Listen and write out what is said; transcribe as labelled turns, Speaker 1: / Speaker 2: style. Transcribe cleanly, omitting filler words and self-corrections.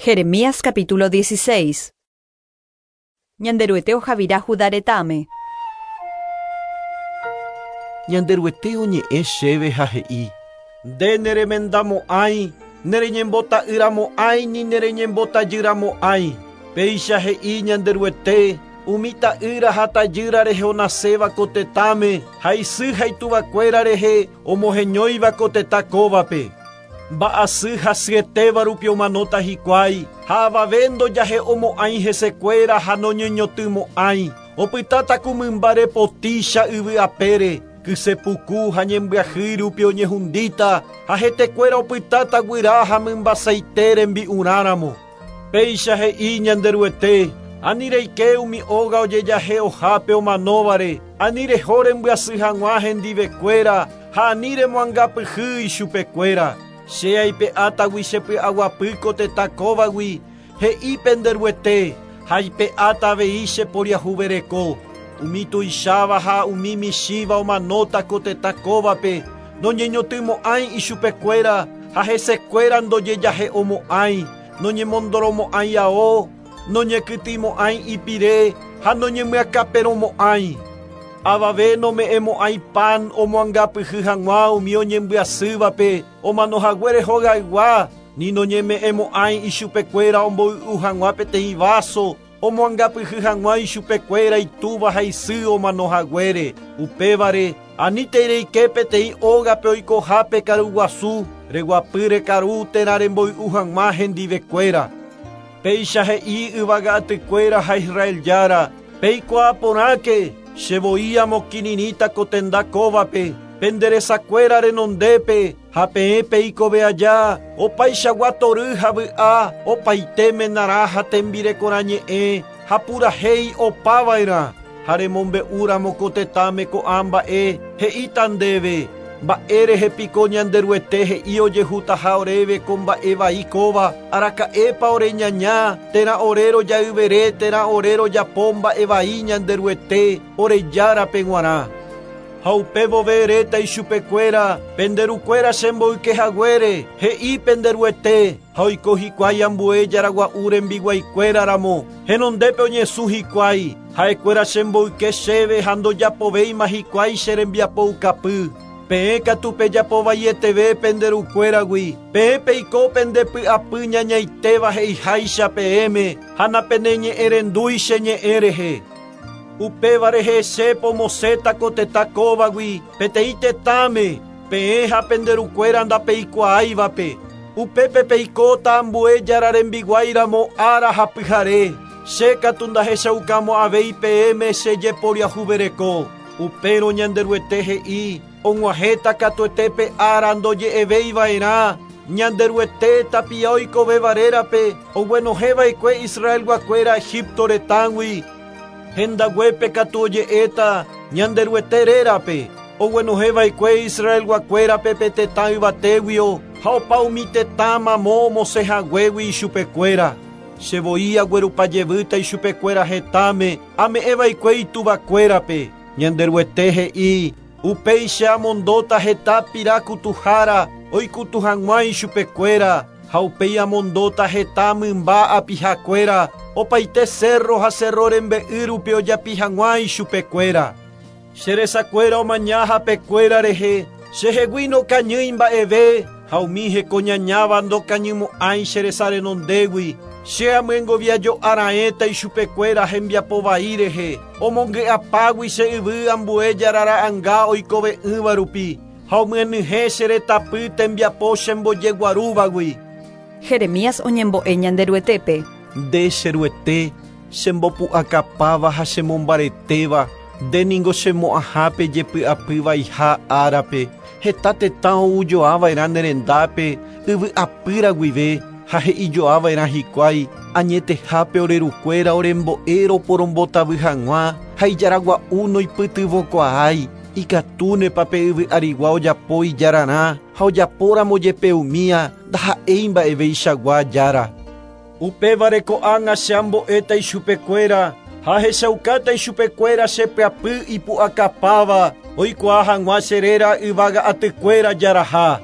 Speaker 1: Jeremías capítulo 16. Ñanderuete ohavira Judá retãme.
Speaker 2: Ñanderuete oñe'ẽ chéve ha he'i, Nde neremendamo'ãi, nereñembota'yramo'ãi ni nereñembotajyramo'ãi. Péicha he'i Ñanderuete, umi ta'ýra ha tajýra rehe onaséva ko tetãme, ha isy ha ituvakuéra rehe omoheñóiva ko tetã kóvape. Mba'asy hasyetéva rupi omanóta hikuái, ha avave ndojahe'omo'ãi hesekuéra ha noñeñotỹmo'ãi. Opytáta ku mymba repotícha yvy apére, kyse puku ha ñembyahýi rupi oñehundíta, ha hetekuéra opytáta guyra ha mymba saite rembi'urãramo. Péicha he'i Ñanderuete, Ani reike umi óga ojejahe'ohápe omanóvare, ani reho rembyasy hag̃ua hendivekuéra ha ani remoangapyhy ichupekuéra. Che aipe'átagui che py'aguapy ko tetã kóvagui, he'i pende Ruete, ha aipe'áta avei che poriahuvereko. Umi tuicháva ha umi michĩva omanóta ko tetã kóvape, noñeñotỹmo'ãi ichupekuéra ha hesekuéra ndojejahe'omo'ãi, noñemondoromo'ãi ao, noñekytĩmo'ãi ipire ha noñemyakãperõmo'ãi. Avave nome'ẽmo'ãi pan omoangapyhy hag̃ua umi oñembyasývape omanohaguére hogaygua, ni noñeme'ẽmo'ãi ichupekuéra omboy'u hag̃ua peteĩ váso omoangapyhy hag̃ua ichupekuéra itúva ha isy omanohaguére. Upévare, anítei reike peteĩ ógape oikohápe karuguasu, reguapy rekaru térã remboy'u hag̃ua hendivekuéra. Péicha he'i yvága atykuéra ha Israel Jára, Peikuaa porãke, che voi amokirirĩta ko tenda kóvape, pende resakuéra renondépe, ha peẽ peikove aja, opaichagua tory ha vy'a, opaite menarã ha tembirekorã ñe'ẽ ha purahéi opava'erã. Ha remombe'úramo ko tetãme ko'ã mba'e, he'íta ndéve, Mba'e rehe piko Ñanderuete he'i ojehutaha oréve ko mba'e vai kóva, araka'épa ore ñaña, térã ore rojayvere térã ore rojapo mba'e vai Ñanderuete, ore Járape g̃uarã. Ha upe vove eréta ichupekuéra, Pende rukuéra chemboyke haguére, he'i pende Ruete, ha oiko hikuái ambue jaragua'u rembiguaikuéra ramo, henondépe oñesũ hikuái, ha'ekuéra chemboyke chéve ha ndojapovéima hikuái che rembiapoukapy. Peẽ katu pejapo vaieteve pende rukuéragui, peẽ peiko pende py'apy ñañaitéva he'iháicha peẽme ha napeneñe'ẽrendúi che ñe'ẽ rehe. Upéva rehe che pomosẽta ko tetã kóvagui peteĩ tetãme, peẽ ha pende rukuéra ndapeikuaáivape. Upépe peikóta ambue Jára rembiguái ramo ára ha pyhare, che katu ndahechaukamo'ãvéi peẽme che jeporiahuvereko. Upérõ Ñanderuete he'i, Og̃uahẽta katuete pe ára ndoje'evéi va'erã, Ñanderuete tapia oikovéva rérape oguenohẽ va'ekue Israelguakuéra Egipto retãgui. Hendaguépe katu oje'éta Ñanderuete rérape, oguenohẽ va'ekue Israelguakuérape pe tetã yvatéguio ha opa umi tetã mamo omosẽ haguégui ichupekuéra. Che voi aguerupa jevýta ichupekuéra hetãme ame'ẽ va'ekue ituvakuérape. Ñanderuete he'i, Upéi che amondóta heta pira kutuhára oikutu hag̃ua ichupekuéra, ha upéi amondóta heta mymba apihakuéra opaite sérro ha sérro rembe'y rupi ojapi hag̃ua ichupekuéra. Che resakuéra omaña hapekuéra rehe, chehegui nokañýi mba'eve, ha umi hekoñañáva ndokañymo'ãi che resa renondégui. Che amyengoviajo'a raẽta ichupekuéra hembiapo vai rehe, omongy'apágui che yvy ambue jarara'anga oikove'ỹva rupi, ha omyenyhẽ che retãpy tembiapo chembojeguarúvagui.
Speaker 1: Jeremías oñembo'e Ñanderuetépe.
Speaker 2: Nde, che Ruete, chembopu'akapáva ha chemombaretéva, nde ningo chemo'ãhápe jepy'apy vaiha árape. Heta tetã oujoava'erã ne rendápe yvy apýra guive ha he'ijoava'erã hikuái, Añetehápe ore rukuéra orembo'e roporombotavy hag̃ua ha ijaragua'u noipytyvõkuaái. Ikatúnepa pe yvy arigua ojapo ijararã ha ojapóramo jepe umía ndaha'éi mba'eveichagua jára. Upévare ko'ág̃a che ambo'éta ichupekuéra ha ahechaukáta ichupekuéra che pyapy ipu'akapáva oikuaa hag̃ua che réra yvága atykuéra jaraha.